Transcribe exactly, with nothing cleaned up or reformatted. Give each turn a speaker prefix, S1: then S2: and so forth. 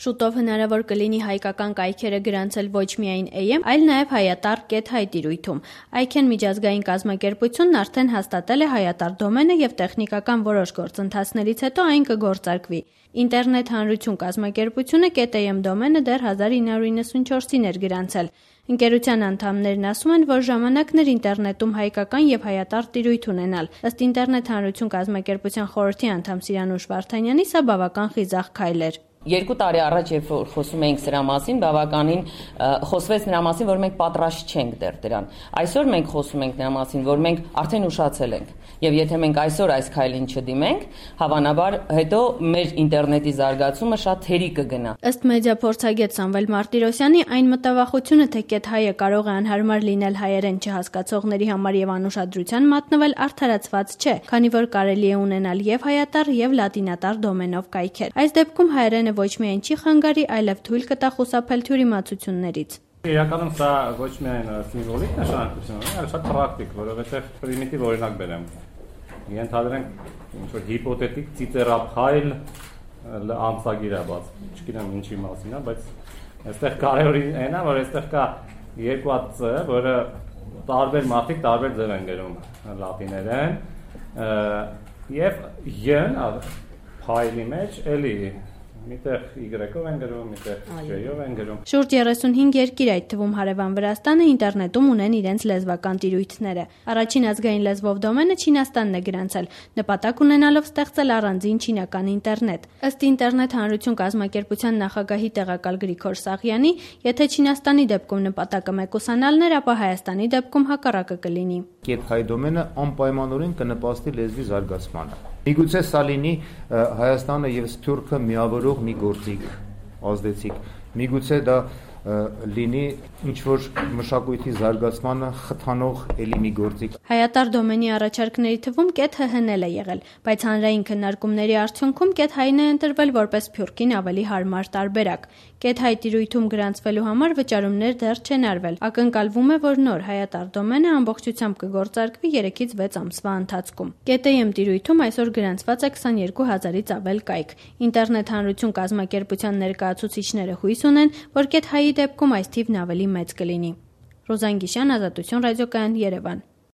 S1: Շուտով հնարավոր կլինի հայկական կայքերը գրանցել ոչ միայն Է Էմ, այլ նաև Հայատառ կետ հայ տիրույթում։ Այքեն միջազգային կազմակերպությունն արդեն հաստատել է Հայատառ դոմենը եւ տեխնիկական որոշ գործընթացներից հետո այն կգործարկվի։ Ինտերնետ հանրություն կազմակերպությունը կետ Է Էմ դոմենը դեռ հազար ինը հարյուր իննսունչորսին էր գրանցել։ Ընկերության անդամներն ասում են, որ ժամանակն էր ինտերնետում հայկական եւ հայատառ տիրույթ ունենալ։ Ըստ ինտերնետ հանրություն կազմակերպության խորհրդի անդամ Սիրանուշ Վարդանյանի, սա բավական խիզախ քայլ էր։
S2: Երկու տարի առաջ, երբ որ խոսում էինք սրա մասին, բավականին խոսվեց նրա մասին, որ մենք պատրաստ չենք դեռ դրան։ Այսօր մենք խոսում ենք նրա մասին, որ մենք արդեն ուշացել ենք։ Եվ եթե մենք այսօր այս քայլին չդիմենք, հավանաբար հետո մեր ինտերնետի զարգացումը շատ թերի կգնա։
S1: Ըստ մեդիափորձագետ Սամվել Մարտիրոսյանի, այն մտավախությունը, թե կետ հայը կարող է անհարմար լինել հայերեն չհասկացողների համար եւ անուշադրության մատնվել, արդարացված չէ, քանի որ կարելի է ունենալ եւ հայատառ եւ լատինատառ դոմենով կայքեր։ Այս դեպքում հայերենը ոչ միայն չի խանգարի, այլև թույլ կտա խուսափել թյուրիմացություններից։
S3: Իրականում սա ոչ միայն սիմվոլիկ նշանակություն ունի, այլ շատ պրակտիկ, որովհետև պրիմիտիվ օրինակ բերեմ։ Ենթադրենք ինչ-որ հիպոթետիկ ծիծեռափայլ ամսագիր է բաց, չգիտեմ ինչի մասին է, բայց այստեղ կարևորին այն է, որ այստեղ կա երկու հատ Ծ, որը տարբեր մարդիկ տարբեր ձև են գրում լատիներեն, եւ Յ-ն փայլի մեջ էլի միտեղ Y-ով են գրում, միտեղ J-ով են գրում։
S1: Շուրջ երեսունհինգ երկիր, այդ թվում հարևան Վրաստանը, ինտերնետում ունեն իրենց լեզվական տիրույթները։ Առաջին ազգային լեզվով դոմենը Չինաստանն է գրանցել, նպատակ ունենալով ստեղծել առանձին չինական ինտերնետ։ Ըստ ինտերնետ հանրություն կազմակերպության նախագահի տեղակալ Գրիգոր Սաղյանի, եթե Չինաստանի դեպքում նպատակը մեկուսանալն էր, ապա Հայաստանի դեպքում հակառակը կլինի։
S4: Կետ հայ դոմենը անպայմանորեն կնպաստի լեզվի զարգացմանը։ Միգուցե սա լինի Հայաստանը եւ Սփյուռքը միավորող մի գործիք, ազդեցիկ։ Միգուցե դա լինի ինչ-որ մշակույթի զարգացմանը խթանող էլի մի գործիք։
S1: Հայատառ դոմենի առաջարկների թվում կետ Հ Հ-ն էլ է եղել, բայց հանրային քննարկումների արդյունքում կետ հայ-ն է ընտրվել որպես Սփյուռքին ավելի հարմար տարբերակ։ Կետ հայ տիրույթում գրանցվելու համար վճարումներ դեռ չեն արվել։ Ակնկալվում է, որ նոր հայատառ դոմենը ամբողջությամբ կգործարկվի երեքից վեց ամսվա ընթացքում։ Կետ Է Էմ տիրույթում այսօր գրանցված է քսաներկու հազարից ավել կայք։ Ինտերնետ հանրություն կազմակերպության ներկայացուցիչները հույս ունեն, որ կետ հայի դեպքում այս թիվն ավելի մեծ կլինի։ Ռոզան Գիշյան, Ազատություն ռադիոկայան, Երևան։